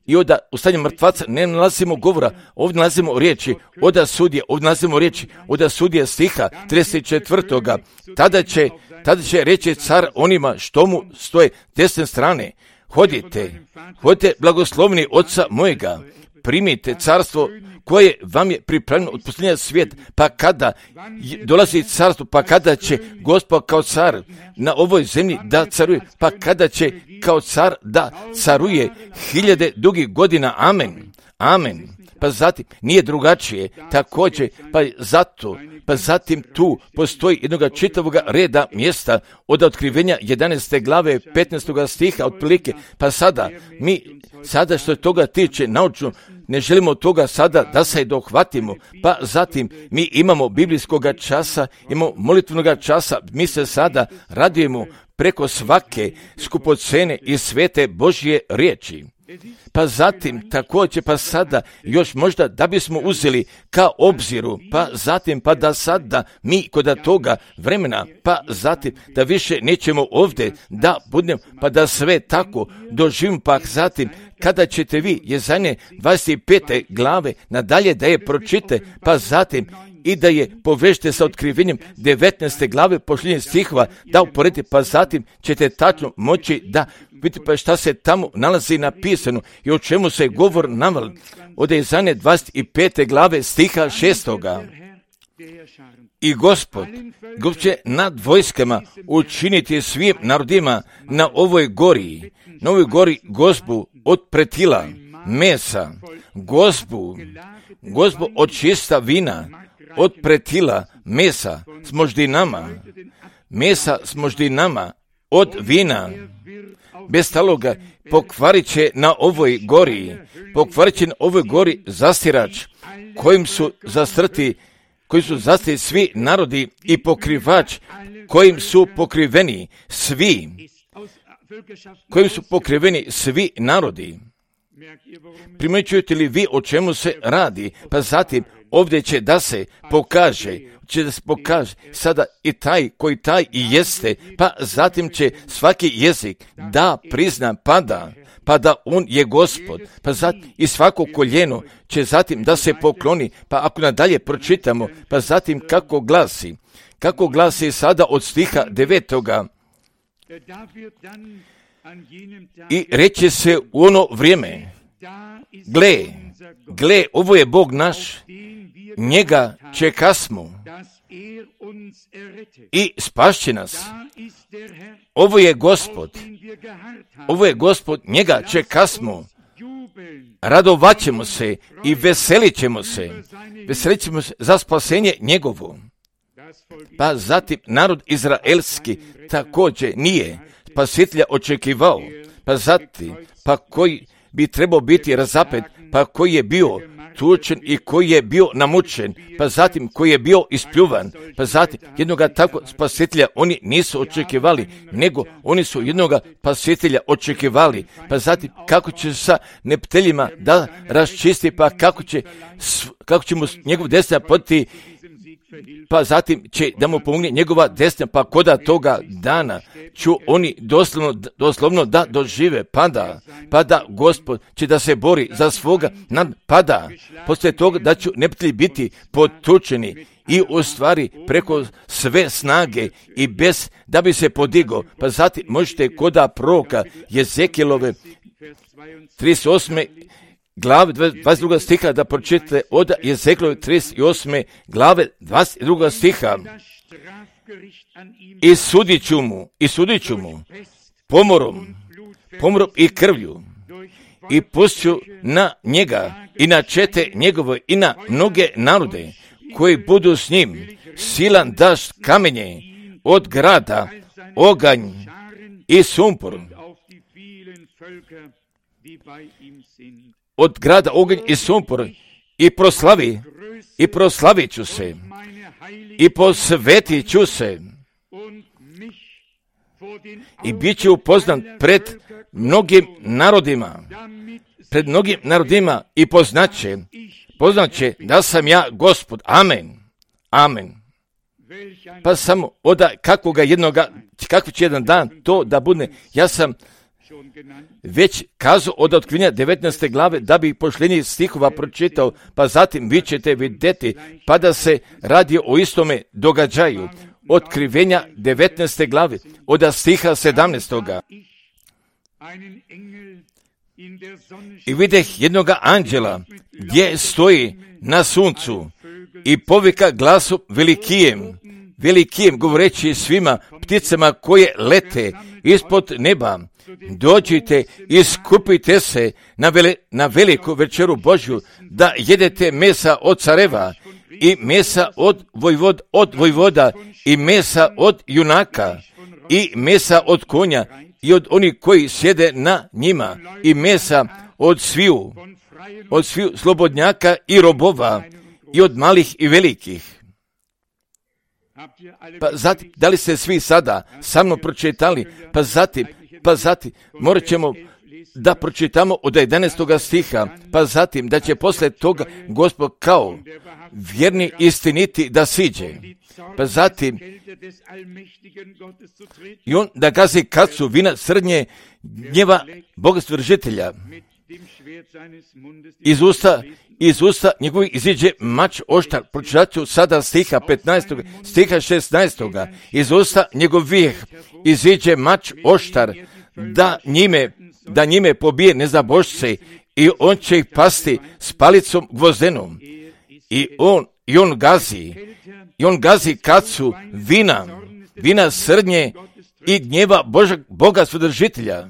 i od ustania mrtvaca ne nalazimo govora, ovdje nalazimo riječi, od sudje, ovdje nalazimo riječi, od sudje stiha trideset četvrtoga Tada će, tada će reći car onima što mu stoje desne strane, hodite, hodite blagoslovni oca mojega, primite carstvo koje vam je pripremljeno od posljednja svijeta, pa kada dolazi carstvo, pa kada će Gospod kao car na ovoj zemlji da caruje, pa kada će kao car da caruje hiljade dugih godina, amen, amen. Pa zatim nije drugačije, također, pa zato, pa zatim tu postoji jednoga čitavoga reda mjesta od otkrivenja jedanaeste glave petnaestoga stiha otprilike, pa sada mi, sada što toga tiče naučno, ne želimo toga sada da se dohvatimo, pa zatim mi imamo biblijskoga časa, imamo molitvenoga časa, mi se sada radujemo preko svake skupocene i svete Božje riječi. Pa zatim također, pa sada još možda da bismo uzeli ka obziru, pa zatim pa da sada mi kod toga vremena, pa zatim da više nećemo ovdje da budemo, pa da sve tako doživimo, pa zatim kada ćete vi Jezanje dvadeset pete glave nadalje da je pročite, pa zatim i da je povežete sa otkrivenjem devetnaeste glave posljednjih stihova, da uporedite, pa zatim ćete tačno moći da vidite pa šta se tamo nalazi napisano i o čemu se govor navali. Od Jezanje dvadeset pete glave stiha šestoga I Gospod, Gospod će nad vojskama učiniti svim narodima na ovoj gori, na ovoj gori gozbu od pretila, mesa, gozbu, gozbu od čista vina, od pretila, mesa s moždinama, mesa s moždinama, od vina, bez taloga pokvarit će na ovoj gori, pokvarit će na ovoj gori zastirač, kojim su zastrti, koji su zastrti svi narodi i pokrivač, kojim su pokriveni svi, kojim su pokriveni svi narodi. Primjećujete li vi o čemu se radi? Pa zatim ovdje će da se pokaže, će da se pokaže sada i taj koji taj i jeste, pa zatim će svaki jezik da prizna pada, pa da on je Gospod, pa zatim i svako koljeno će zatim da se pokloni, pa ako nadalje pročitamo, pa zatim kako glasi, kako glasi sada od stiha devetoga I reće se u ono vrijeme, gle, gle, ovo je Bog naš, njega čekasmo i spašće nas. Ovo je Gospod, ovo je Gospod, njega čekasmo, radovat ćemo se i veselit ćemo se, veselit ćemo se za spasenje njegovo. Pa zatim narod izraelski također nije spasitelja očekivao, pa zatim, pa koji bi trebao biti razapet, pa koji je bio tučen i koji je bio namučen, pa zatim koji je bio ispljuvan, pa zatim jednoga takvog spasitelja oni nisu očekivali, nego oni su jednoga spasitelja očekivali, pa zatim kako će sa nepteljima da raščisti, pa kako će, kako će mu njegov desna poditi, pa zatim će da mu pomogne njegova desna, pa koda toga dana ću oni doslovno, doslovno da dožive, pada, pada Gospod će da se bori za svoga, nad, pada, poslije toga da ću neprijatelji biti potučeni i u stvari preko sve snage i bez da bi se podigo, pa zatim možete koda proroka Jezekilove trideset osme glave dvadeset druga stiha da pročitate od Jezekilove trideset osme glave dvadeset druga stiha. I sudit ću mu, i sudit ću mu pomorom, pomorom i krvlju i pusću na njega i na čete njegove i na mnoge narode koji budu s njim silan dašt kamenje od grada, oganj i sumpor. od grada oganj i sumpor i proslavi, i proslavit ću se, i posvetit ću se, i bit će upoznan pred mnogim narodima, pred mnogim narodima i poznaće, poznaće da sam ja Gospod. Amen. Amen. Pa samo oda kakvoga jednoga, kako će jedan dan to da bude. Ja sam već kazao od otkrivenja devetnaeste glave da bi pošljenje stihova pročitao, pa zatim vi ćete vidjeti, pa da se radi o istome događaju. Otkrivenja devetnaeste glave od stiha sedamnaestoga. I videh jednoga anđela gdje stoji na suncu i povika glasom velikijem, velikijem govoreći svima pticama koje lete ispod neba, dođite i skupite se na, vele, na veliku večeru Božju, da jedete mesa od careva i mesa od, vojvod, od vojvoda i mesa od junaka i mesa od konja i od onih koji sjede na njima i mesa od sviju, od sviju slobodnjaka i robova i od malih i velikih. Pa zatim, da li ste svi sada sa mnom pročitali? Pa zatim, pa zatim, morat ćemo da pročitamo od jedanaestoga stiha, pa zatim da će posle toga Gospod kao vjerni istiniti da siđe. Pa zatim, i on da gazi kacu vina srnje gnjeva Boga stvoržitelja. Iz usta, iz usta njegovih iziđe mač oštar. Pročitat ću sada stiha petnaestog, stiha šesnaestog. Iz usta njegovih iziđe mač oštar, da njime, da njime pobije nezabošce i on će ih pasti s palicom gvozdenom. I on, i on gazi, i on gazi kacu vina, vina srnje i gnjeva Boža, Boga stvoržitelja.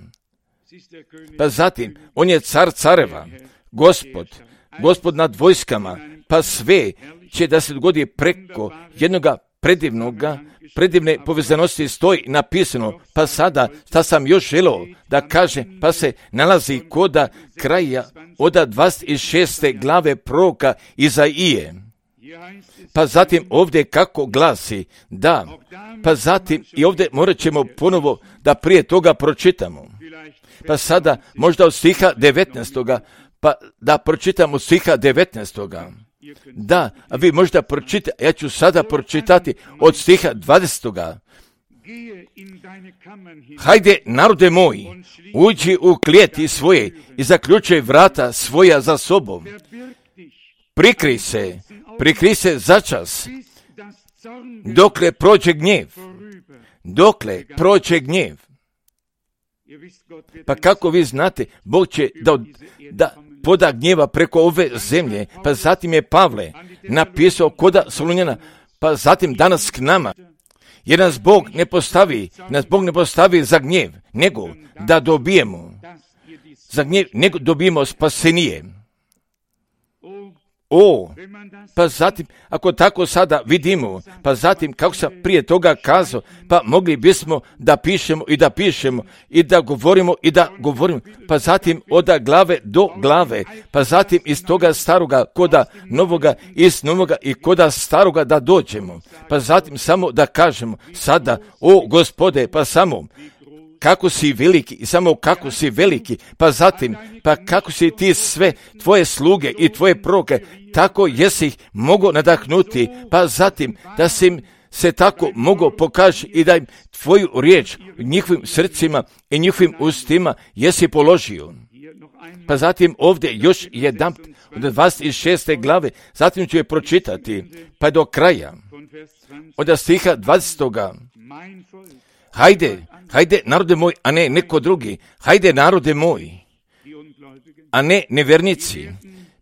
Pa zatim, on je car careva, Gospod, Gospod nad vojskama, pa sve će da se dogodi preko jednoga predivnoga, predivne povezanosti stoji napisano, pa sada, šta sam još želeo da kažem, pa se nalazi koda kraja oda dvadeset šeste glave proroka Izaije. Pa zatim ovdje kako glasi, da, pa zatim i ovdje morat ćemo ponovo da prije toga pročitamo. Pa sada možda od stiha devetnaestoga, pa da pročitamo od stiha devetnaestoga. Da, a vi možda pročitate, ja ću sada pročitati od stiha dvadesetoga. Hajde, narode moji, uđi u klijeti svoje i zaključaj vrata svoja za sobom. Prikri se, prikri se začas, dokle prođe gnjev, dokle prođe gnjev. Pa kako vi znate, Bog će da, da poda gnjeva preko ove zemlje, pa zatim je Pavle napisao koda Solunjana, pa zatim danas k nama, jer nas Bog ne postavi, nas Bog ne postavi za gnjev, nego da dobijemo, za gnjev, nego dobijemo spasenije. O, pa zatim, ako tako sada vidimo, pa zatim, kako sam prije toga kazao, pa mogli bismo da pišemo i da pišemo i da govorimo i da govorimo, pa zatim od glave do glave, pa zatim iz toga staroga koda novoga, iz novoga i koda staroga da dođemo, pa zatim samo da kažemo sada, o Gospode, pa samo, kako si veliki i samo kako si veliki, pa zatim, pa kako si ti sve tvoje sluge i tvoje proroke, tako jesi ih mogo nadahnuti, pa zatim da si im se tako mogo pokaži i da im tvoju riječ u njihovim srcima i njihovim ustima jesi položio. Pa zatim ovdje još jedan od dvadeset šeste glave, zatim ću je pročitati, pa do kraja, od stiha dvadesetoga. Hajde, hajde narode moj, a ne neko drugi, hajde narode moj, a ne nevernici.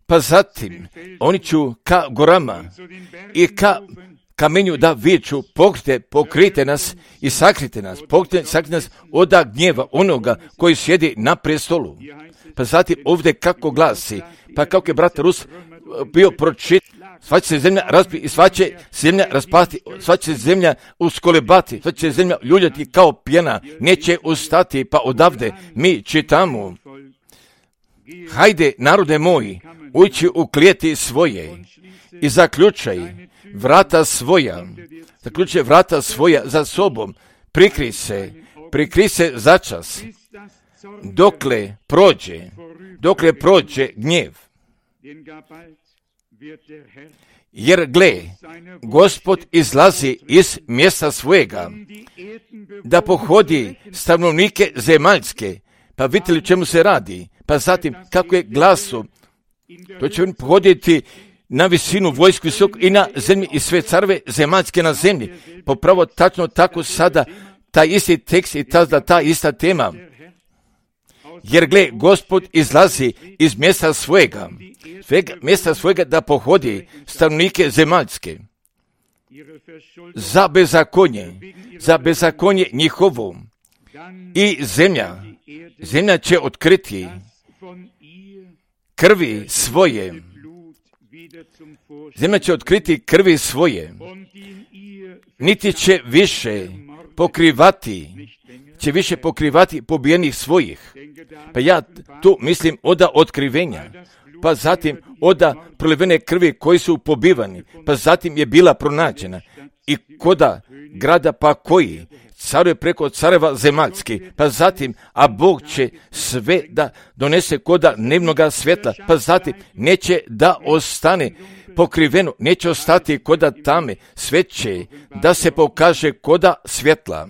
Pa zatim, oni ću ka gorama i ka kamenju da viču, pokrite, pokrite nas i sakrite nas, pokrite, sakrite nas od gnjeva onoga koji sjedi na prestolu. Pa zatim ovdje kako glasi, pa kako je brat Rus bio pročit, sva će se zemlja razbiti i sva će zemlja raspasti, sva će se zemlja uskolebati, sva će se zemlja ljuljati kao pjena, neće ustati, pa odavde mi čitamo. hajde, narode moji, ući u klijeti svoje i zaključaj vrata svoja, zaključaj vrata svoja za sobom, prikri se, prikri se začas, dokle prođe, dokle prođe gnjev. Jer gle, Gospod izlazi iz mjesta svojega, da pohodi stanovnike zemaljske. Pa vidite li čemu se radi? Pa zatim, kako je glasu, to će on pohoditi na visinu vojsku visok i na zemlji i sve carve zemaljske na zemlji. Popravo tačno tako sada, taj isti tekst i ta, ta ista tema. Jer gle, Gospod izlazi iz mjesta svojega, svega, mjesta svojega da pohodi stanovnike zemaljske za bezakonje, za bezakonje njihovo. I zemlja, zemlja će otkriti krvi svoje, zemlja će otkriti krvi svoje, niti će više pokrivati, će više pokrivati pobijenih svojih. Pa ja tu mislim oda otkrivenja, pa zatim oda prolivene krvi koji su pobivani, pa zatim je bila pronađena i koda grada pa koji caruje preko careva zemaljski, pa zatim, a Bog će sve da donese koda dnevnoga svjetla, pa zatim neće da ostane pokriveno, neće ostati koda tame, sve će da se pokaže koda svjetla.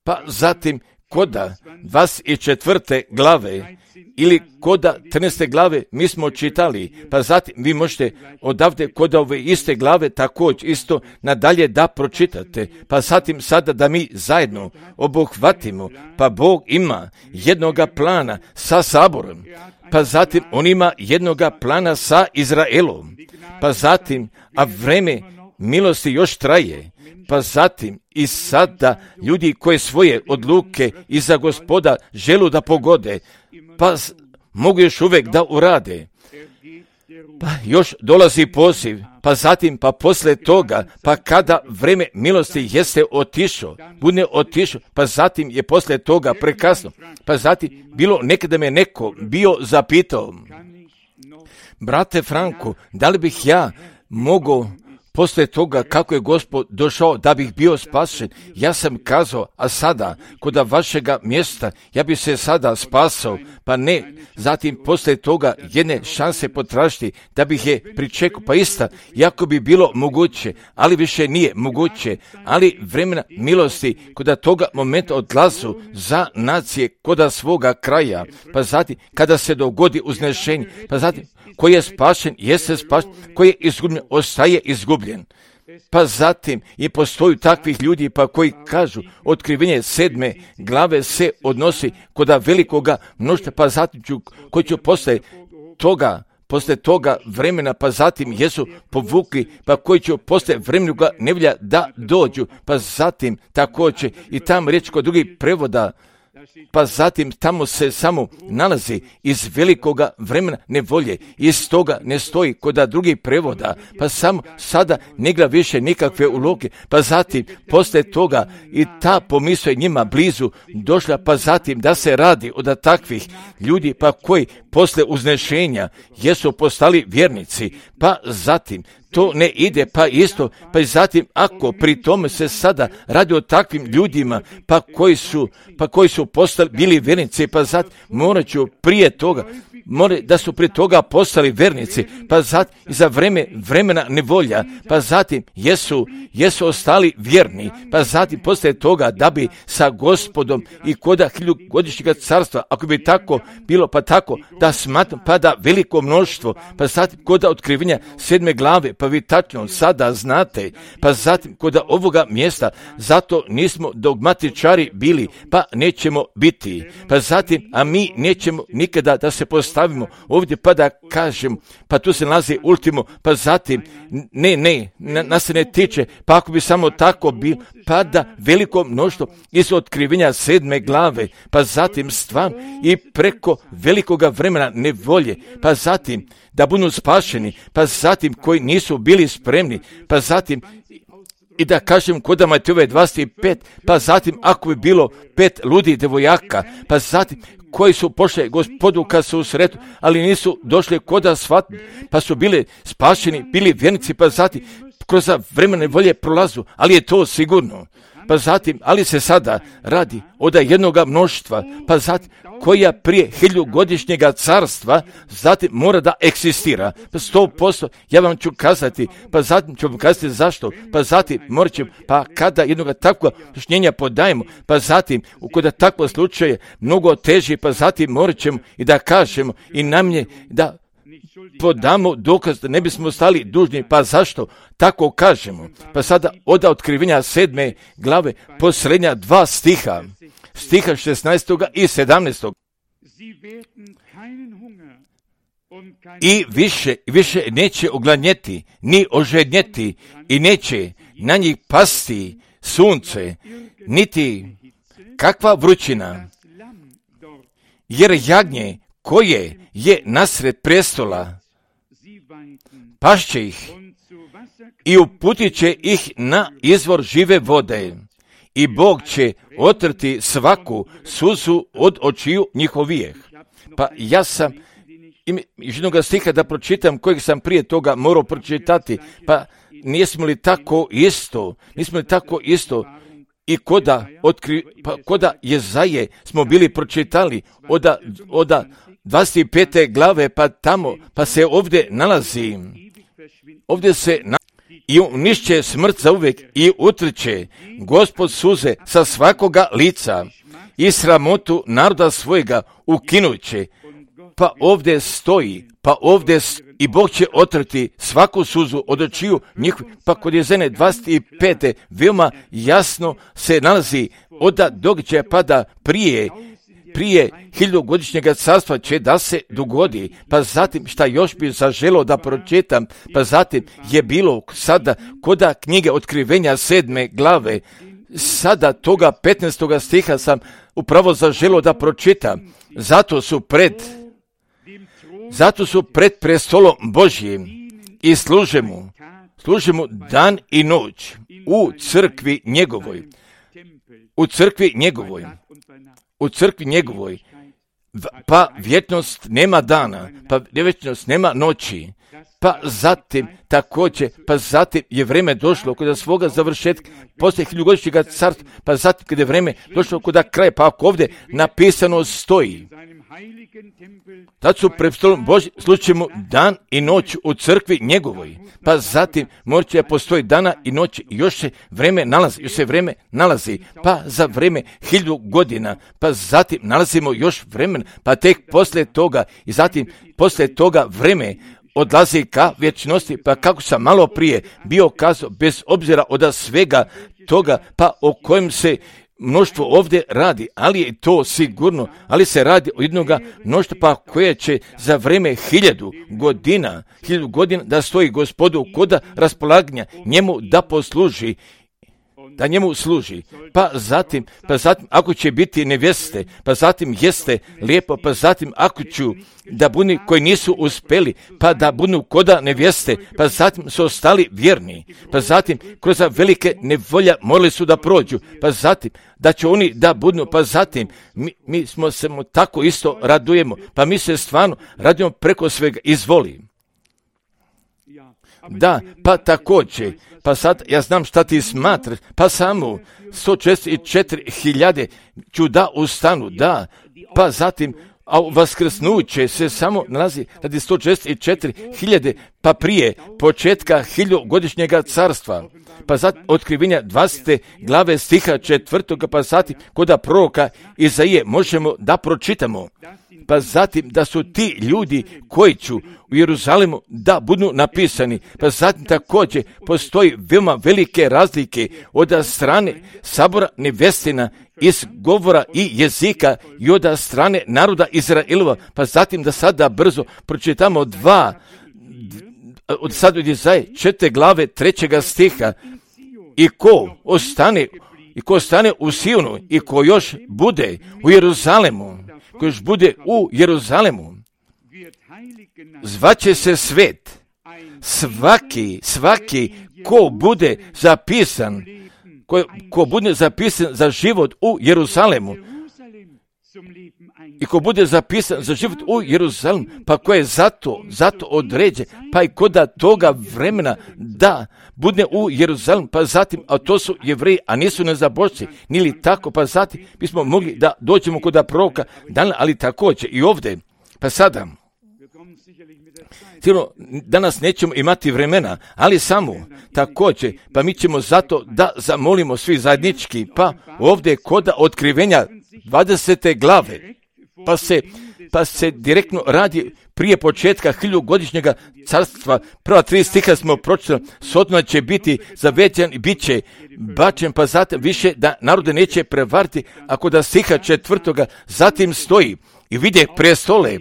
Pa zatim koda dvadeset četvrte glave ili koda trinaeste glave mi smo čitali, pa zatim vi možete odavde koda ove iste glave također isto nadalje da pročitate, pa zatim sada da mi zajedno obuhvatimo, pa Bog ima jednoga plana sa saborom, pa zatim on ima jednoga plana sa Izraelom, pa zatim, a vreme milosti još traje, pa zatim i sada ljudi koje svoje odluke iza Gospoda želu da pogode, pa mogu još uvijek da urade. Pa još dolazi poziv, pa zatim, pa posle toga, pa kada vreme milosti jeste otišao, bude otišao, pa zatim je posle toga prekasno, pa zatim bilo nekada me neko bio zapitao, brate Franko, da li bih ja mogao poslije toga kako je Gospod došao da bih bio spašen, ja sam kazao, a sada, koda vašega mjesta, ja bi se sada spasao, pa ne, zatim poslije toga jedne šanse potražiti da bih je pričekao, pa ista, jako bi bilo moguće, ali više nije moguće, ali vremena milosti koda toga momenta odlazu za nacije koda svoga kraja, pa zatim kada se dogodi uznešenje, pa zatim koji je spašen, jeste spašen, koji je izgubljen, ostaje izgubljen. Pa zatim i postoju takvih ljudi pa koji kažu otkrivenje sedme glave se odnosi koda velikoga mnoštva, pa zatim ću, koji ću posle toga, posle toga vremena, pa zatim jesu povukli, pa koji će posle vremenoga nevolja da dođu, pa zatim također i tam riječ kod drugih prevoda, pa zatim tamo se samo nalazi iz velikoga vremena nevolje, iz toga ne stoji koda drugih prevoda, pa samo sada ne gleda više nikakve uloge, pa zatim posle toga i ta pomisao je njima blizu došla, pa zatim da se radi od takvih ljudi, pa koji posle uznešenja jesu postali vjernici, pa zatim to ne ide, pa isto, pa i zatim ako pri tome se sada radi o takvim ljudima, pa koji su, pa koji su postali, bili vernici, pa zatim morat ću prije toga, more da su prije toga postali vernici, pa zatim i za vreme, vremena nevolja, pa zatim jesu, jesu ostali vjerni, pa zatim poslije toga da bi sa Gospodom i koda hiljugodišnjega carstva, ako bi tako bilo, pa tako da smatram, pa da veliko mnoštvo, pa zatim koda otkrivenja sedme glave, pa vi tačno sada znate, pa zatim koda ovoga mjesta, zato nismo dogmatičari bili, pa nećemo biti, pa zatim, a mi nećemo nikada da se postavimo ovdje pa da kažem, pa tu se nalazi ultimo, pa zatim, ne, ne, na, nas se ne tiče, pa ako bi samo tako bilo, pa da veliko mnoštvo iz otkrivenja sedme glave, pa zatim stvarno i preko velikoga vremena nevolje, pa zatim da budu spašeni, pa zatim koji nisu bili spremni, pa zatim i da kažem kod Matejove dvadeset pet, pa zatim ako bi bilo pet ludi devojaka, pa zatim koji su pošli Gospodu kad su u sretu, ali nisu došli koda svatni, pa su bili spašeni, bili vjernici, pa zatim kroz vremene volje prolazu, ali je to sigurno. Pa zatim, ali se sada radi od jednoga mnoštva, pa zatim koja prije hiljugodišnjega carstva, zatim mora da eksistira. Pa sto posto, ja vam ću kazati, pa zatim ću vam kazati zašto, pa zatim morat ćemo, pa kada jednoga takvog objašnjenja podajemo, pa zatim, kada takvo slučaje mnogo teži, pa zatim morat ćemo i da kažemo i nam je da podamo dokaz da ne bismo stali dužni, pa zašto tako kažemo? Pa sada od otkrivenja sedme glave posljednja dva stiha, stiha šesnaestog i sedamnaestog. I više, više neće ogladnjeti, ni ožednjeti i neće na njih pasti sunce, niti kakva vrućina, jer jagnje koje je nasred prestola pašće ih i uputit će ih na izvor žive vode i Bog će otrti svaku suzu od očiju njihovijeh. Pa ja sam iz jednog stiha da pročitam kojeg sam prije toga morao pročitati, pa nismo li tako isto, nismo li tako isto i koda, otkri, pa koda Jezaje smo bili pročitali oda, oda dvadeset pete glave, pa tamo, pa se ovdje nalazi, ovdje se nalazi, i unišće smrt za uvijek i utrće Gospod suze sa svakoga lica i sramotu naroda svojega ukinuće. Pa ovdje stoji, pa ovdje stoji, i Bog će otrti svaku suzu od očiju njihovih. Pa kod Jezene dvadeset pete veoma jasno se nalazi od događaja pada prije, prije hiljugodišnjega carstva će da se dogodi. Pa zatim šta još bi zaželo da pročitam, pa zatim je bilo sada koda knjige otkrivenja sedme glave, sada toga petnaestoga stiha sam upravo zaželo da pročitam. Zato su pred Zato su pred prestolom Božjim i služe mu, služe mu dan i noć u crkvi njegovoj, u crkvi njegovoj, u crkvi njegovoj, pa vječnost nema dana, pa vječnost nema noći, pa zatim također, pa zatim je vrijeme došlo kod svoga završetka, poslije hiljugodišnjega carstva, pa zatim kad je vrijeme došlo kod kraja, pa ako ovdje napisano stoji, tad su pred stolom Božjim slučajemo dan i noć u crkvi njegovoj, pa zatim morat će postoji dana i noć, još se vrijeme nalazi, još se vrijeme nalazi, pa za vrijeme hilju godina, pa zatim nalazimo još vremena, pa tek poslije toga i zatim poslije toga vrijeme odlazi ka vječnosti, pa kako sam malo prije bio kazao, bez obzira od svega toga, pa o kojem se mnoštvo ovdje radi, ali je to sigurno, ali se radi o jednoga mnoštva pa koje će za vrijeme hiljadu godina, hiljadu godina da stoji Gospodu koda raspolaganja njemu da posluži, da njemu služi. Pa zatim, pa zatim ako će biti nevjeste, pa zatim jeste lijepo, pa zatim ako ću da buni koji nisu uspjeli, pa da budu koda nevjeste, pa zatim su ostali vjerni, pa zatim kroz velike nevolja morali su da prođu, pa zatim da će oni da budu, pa zatim mi, mi smo se mu tako isto radujemo, pa mi se stvarno radujemo preko svega, izvoli. Da, pa također, pa sad ja znam šta ti smatraš, pa samo sto četrdeset četiri hiljade ću da ustanu, da, pa zatim a vaskrsnuće se samo nalazi radi sto četrdeset četiri hiljade, pa prije početka hiljugodišnjega carstva, pa zatim otkrivenja dvadesete glave stiha četvrtog, pa zatim koda proroka Izaije možemo da pročitamo, pa zatim da su ti ljudi koji će u Jeruzalemu da budu napisani, pa zatim također postoji veoma velike razlike od strane sabora nevjestina iz govora i jezika i od strane naroda Izraelova, pa zatim da sada brzo pročitamo dva, od sad od Izaije četiri glave trećega stiha, i ko ostane, i ko ostane u Sionu i ko još bude u Jeruzalemu, ko još bude u Jeruzalemu, zvaće se svet, svaki, svaki ko bude zapisan, ko, ko bude zapisan za život u Jeruzalemu, i ko bude zapisan za život u Jeruzalemu, pa ko je zato, zato određen, pa i ko da toga vremena da bude u Jeruzalemu, pa zatim, a to su Jevreji, a nisu nezabožci, nili tako, pa zatim bismo mogli da dođemo kod proroka, ali također i ovdje, pa sada, sigurno danas nećemo imati vremena, ali samo također, pa mi ćemo zato da zamolimo svi zajednički, pa ovdje kod otkrivenja dvadesete glave, pa se, pa se direktno radi prije početka hiljugodišnjega carstva. Prva tri stiha smo pročitali, Sodoma će biti zavećan i bit će bačen, pa zatim više da narode neće prevariti, ako da stiha četvrtoga zatim stoji i vide prestole,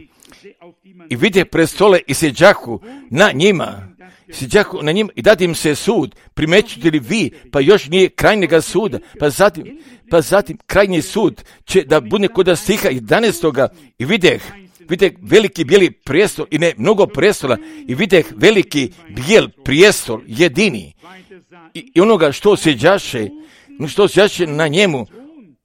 i vide prestole i sjeđahu na njima, sjeđahu na njima i dadi im se sud, primećujete li vi, pa još nije krajnjega suda, pa zatim, pa zatim krajnji sud će da bude kod stiha jedanaestoga i videh, videh veliki bijeli prijestol i ne mnogo prijestola i videh veliki bijel prijestol jedini i, i onoga što sjeđaše, što sjeđaše na njemu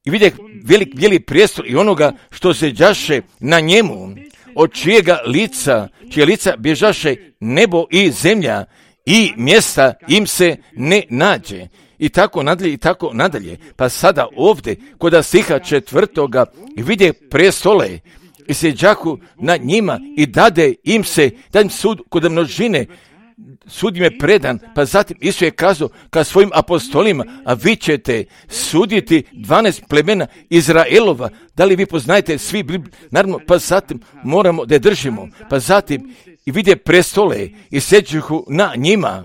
i videh velik bijeli prijestol i onoga što sjeđaše na njemu, od čijega lica, čije lica bježaše nebo i zemlja i mjesta im se ne nađe. I tako nadalje, i tako nadalje. Pa sada ovdje, kod stiha četvrtoga, vide prestole i sjeđahu na njima i dade im se, da im sud kod množine, sud im je predan, pa zatim Isus je kazao ka svojim apostolima, a vi ćete suditi dvanaest plemena Izraelova. Da li vi poznajete svi, naravno, pa zatim moramo da je držimo, pa zatim i vide prestole i sjeđahu na njima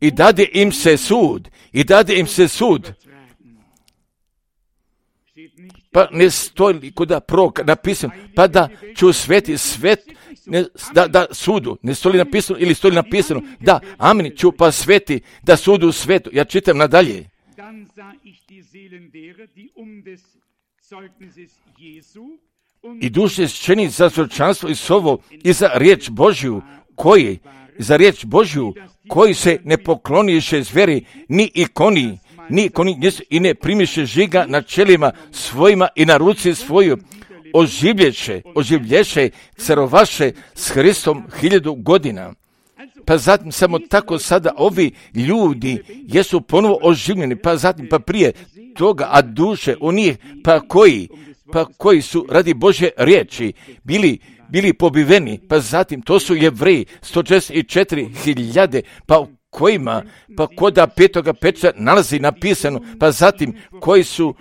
i dade im se sud, i dade im se sud. Pa ne stoji kod proroka napisano, pa da ću sveti svet, ne, da, da sudu, ne stoji napisano ili stoji napisano, da, amen, ću pa sveti, da sudu svetu. Ja čitam nadalje. I duše ščeni za svjedočanstvo i slovo i za riječ Božju, koji, za riječ Božju, koji se ne pokloniše zveri, ni ikoni, ni ikoni, i ne primiše žiga na čelima svojima i na ruci svoju, oživlješe, oživlješe, carovaše s Hristom hiljadu godina. Pa zatim samo tako sada ovi ljudi jesu ponovo oživljeni, pa zatim pa prije toga, a duše onih pa koji, pa koji su radi Božje riječi bili bili pobiveni, pa zatim to su Jevreji, sto četrdeset četiri hiljade, pa u kojima, pa koda petoga peča nalazi napisano, pa zatim koji su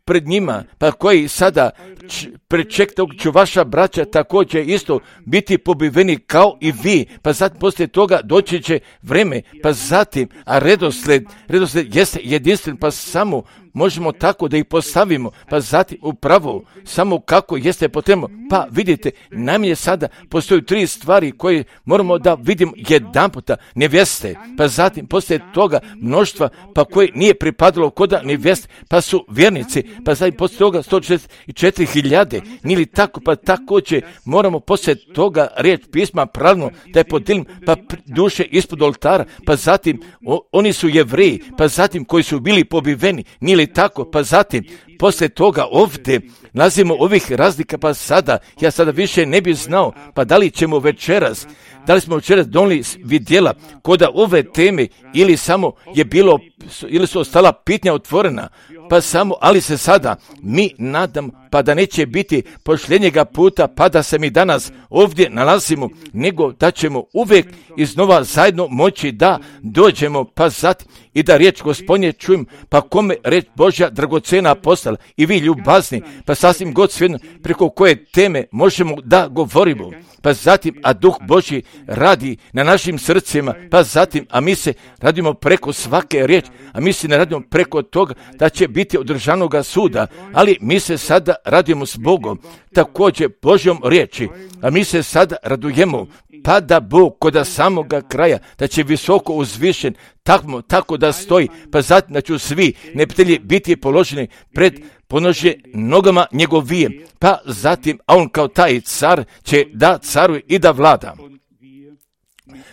pred njima, pa koji sada č, pred tog ću vaša braća također isto biti pobiveni kao i vi, pa zatim poslije toga doći će vreme, pa zatim, a redosled, redosled jeste jedinstven, pa samo možemo tako da ih postavimo, pa zatim upravo samo kako jeste potrebno. Pa vidite, najmanje sada postoju tri stvari koje moramo da vidimo jedan puta, nevjeste, pa zatim poslije toga mnoštva, pa koje nije pripadalo koda nevjeste, pa su vjernici, pa zatim poslije toga sto četrdeset četiri hiljade, nili tako, pa također moramo poslije toga riječ pisma pravilno da je podijelim, pa duše ispod oltara, pa zatim o, oni su Jevreji, pa zatim koji su bili pobiveni, nili tako, pa zatim, poslije toga ovdje nalazimo ovih razlika, pa sada, ja sada više ne bih znao, pa da li ćemo večeras, da li smo večeras donijeli vidjela koda ove teme ili samo je bilo, ili su ostala pitanja otvorena, pa samo, ali se sada mi nadam, pa da neće biti posljednjega puta, pa da se mi danas ovdje nalazimo, nego da ćemo uvijek iznova zajedno moći da dođemo, pa zatim i da riječ Gospodnje čujem, pa kome riječ Božja dragocena postala i vi ljubazni, pa sasvim god svejedno preko koje teme možemo da govorimo, pa zatim, a Duh Božji radi na našim srcima, pa zatim, a mi se radimo preko svake riječi, a mi se ne radimo preko toga da će biti održanoga suda, ali mi se sada radimo s Bogom, također Božjom riječi, a mi se sada radujemo, pa da Bog koda samoga kraja, da će visoko uzvišen, tako, tako da stoji, pa zatim da će svi neprijatelji biti položeni pred ponože nogama njegovije, pa zatim, a on kao taj car će da caruje i da vlada.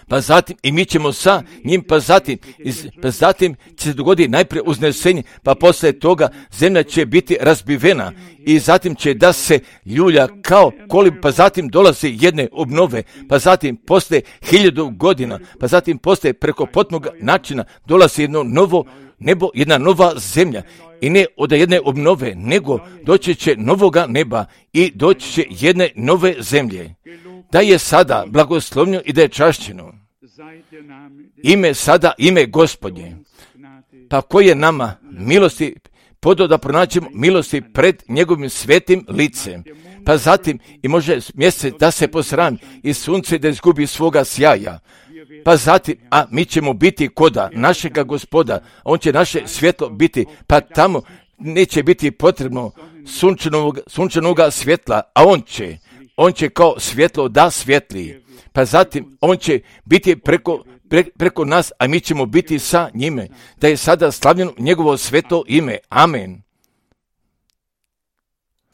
pa zatim i mi ćemo sa njim, pa zatim, iz, pa zatim će se dogoditi najprije uznesenje, pa poslije toga zemlja će biti razbivena i zatim će da se ljulja kao kolim, pa zatim dolazi jedne obnove, pa zatim poslije hiljadu godina, pa zatim poslije preko potpunog načina dolazi jedno novo nebo, jedna nova zemlja. I ne od jedne obnove, nego doći će novoga neba i doći će jedne nove zemlje. Da je sada blagoslovljeno i da je čašćeno ime sada, ime Gospodnje. Pa koji je nama milosti podao da pronaćemo milosti pred njegovim svetim licem. Pa zatim i može mjesec da se posrami i sunce da izgubi svoga sjaja. Pa zatim, a mi ćemo biti koda našega Gospoda, on će naše svjetlo biti, pa tamo neće biti potrebno sunčanog, sunčanog svjetla, a on će, on će kao svjetlo da svjetli. Pa zatim, on će biti preko, pre, preko nas, a mi ćemo biti sa njime, da je sada slavljeno njegovo sveto ime. Amen.